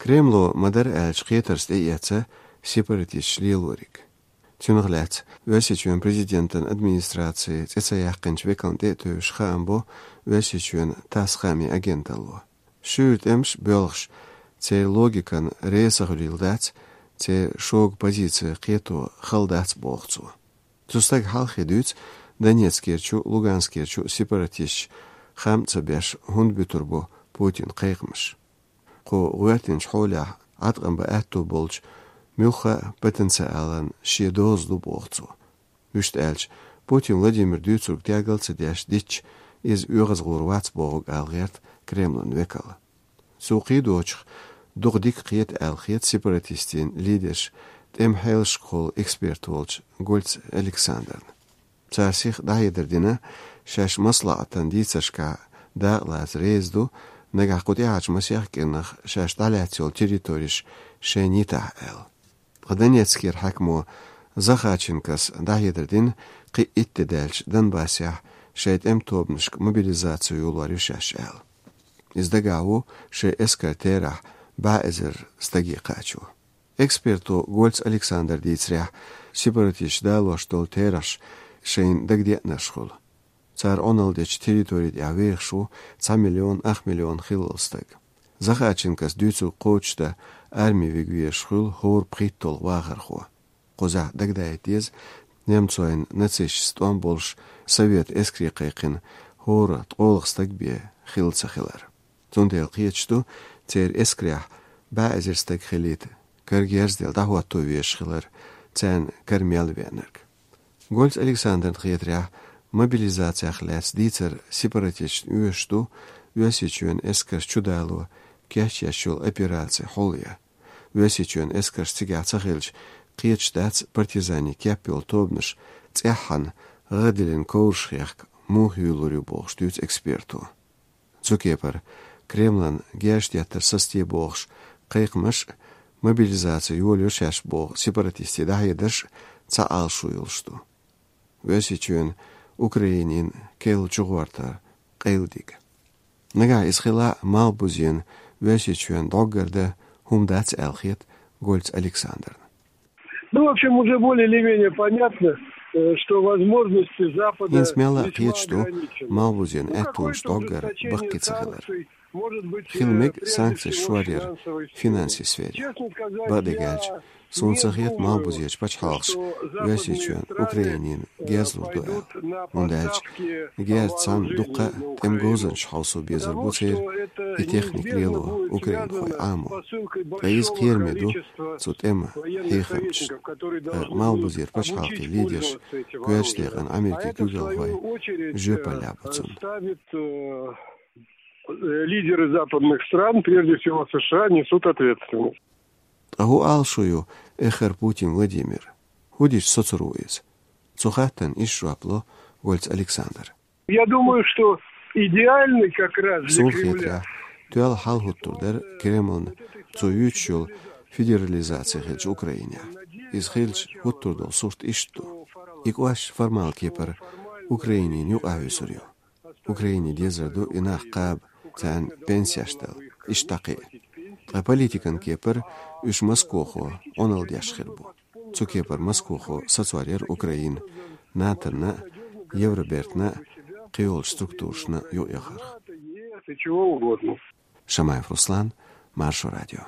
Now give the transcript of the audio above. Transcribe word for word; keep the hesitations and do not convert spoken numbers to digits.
Кремло ма-дарра аьлча кхетарца тӀеэца сепаратисташ лелориг. Цунах лаьцна Оьрсийчоьнан президентан администраци цӀе ца яьккхинчу векална тӀе а тевжаш хаам бо Оьрсийчоьнан ТАСС хаамийн агенталло. Шуьйра тӀемаш боьлхуш, церан логикана реза ца хуьлийла дац, церан шога позици кхето хала дац, боху цо. Цу стага хьалххе дуьйцу Донецкерчу, Луганскерчу сепаратисташа хам а ца беш, хӀунда буьтур бу Путина кхайкхамаш. Кху гӀоьртинчу хьолехь Ӏаткъам бан аьтто болчу муьлхха а потенциалан шен доза ду, боху цо. Вуьшта аьлча, Путин Владимира дуьйцург тергал ца деш дитча, иза оьгӀазгӀур вац бохург ала гӀерта Кремлан векал. Цо кхийдочух дукха дика кхета аьлла хета сепаратистийн лидерш тӀеман хьелашкахула эксперт волчу Гольц Александрна. Цара сиха дӀахьедар дина, шаьш маслаӀатан дийцаршкахь дакъалаца реза ду, нагахь кху тӀаьхьарчу масех кӀирнах шаьш дӀалаьцна йолу территореш шайна йитахь аьлла. Ткъа Донецкера хьаькамо Захарченкос дӀахьедар дина, кхин а итт де даьлча Донбассехь шайн тӀеман тобанашка мобилизаци йолор ю шаьш аьлла. Иза дагахь ву шайн эскаран терахь бӀе эзар стаге кхачо. Эксперто Гольц Александра дийцарехь, сепаратисташа далош долу терахьаш шайна дагадеанарш хуьлу. Цара Ӏуналла дечу территори тӀехь вехаш ву цхьа миллион ах миллион хиллал стаг. Захарченкос дуьйцург кхочушдан арми вига везаш хуьлу хӀора пхийтталгӀа вахархо. Кхузахь дагадаийта деза, немцойн нацисташца тӀом болуш совет эскаре кхайкхина хӀора ткъолгӀа стаг бен хилла ца хилар. Цундела кхеташ ду, церан эскарехь бӀе эзар стаг хилийта, кара герз а делла дӀахӀотто везаш хилар, царна кара мел веанарг. Гольц Александрна хетарехь, мобилизацех лаьцна дийцар сепаратисташна оьшуш ду Оьрсийчоьнан эскарш чудало кечъеш йолу операци хьулъян. Оьрсийчоьнан эскарш цигахь ца хилча, кхеташ дац партизанийн кеп йолу тобанаш цӀеххьана гӀадиллина ковраш хехка муха юьйлур ю бохуш, дуьйцу эксперто. Цу кепара Кремлан герз деттар сацаде бохуш кхайкхамаш а, мобилизаци йолайо шаьш боху сепаратистийн дӀахьедарш а цхьа Ӏалашо йолуш ду. Оьрсийчоьнан Украинина керла чугӀортар къайладига. Нагахь иза хилахь а, малхбузена Оьрсийчоьнна дӀоггар дан хӀума дац аьлла хета Гольц Александрна. Ну, в общем, уже более или менее понятно, э, что возможности Запада... ХӀинца мелла а весьма кхеташ ду, ограничены. Малхбузен аьттонаш дӀоггар баккхий ца хилар. Хила мега санкцеш шоръяр финансийн сфере. Бакъдерг аьлча, суна ца хета малхбузерчу пачхьалкхаша Оьрсийчоьнна Украинина герз лур ду аьлла. ХӀунда аьлча герз цхьана дуккха а тӀеман говзанчаш хьовсо безар бу церан, и техника лело украинхойн Ӏамо. Ткъа иза кхераме ду цу тӀеман хьехамчашна. Ткъа малхбузера пачхьалкхийн лидерш, коьртачу декъана Америкин куьйгалхой жоьпаллехь бу цунна. Лидеры западных стран, прежде всего США, несут ответственность. Ткъа хӀун Ӏалашо ю эххар Путин Владимира? ХӀун дича соцур ву иза? Цу хаттарна иштта жоп ло Гольц Александра. Я думаю, что идеальный как раз для Кремля... Суна хетарехь, тоьлла хьал хӀуттур дара Кремлна цо юьйцуш йолу федерализаци хилча Украинехь. Иза хилча хӀуттур долу сурт иштта ду. И кӀошташ формал кепара Украинина юкъахь хьуьйсур ю. Украине дезар ду и нах кхаба, царна пенсеш дала, иштта дӀакхиа. Ткъа политикан кепара уьш Москохо Ӏуналла деш хир бу. Цу кепара Москохо сацор яра Украина НАТО-на а, Евробертана а, кхийолчу структурашна а юкъаяхарх. Чего угодно. Шамаев Руслан, Маршо радио.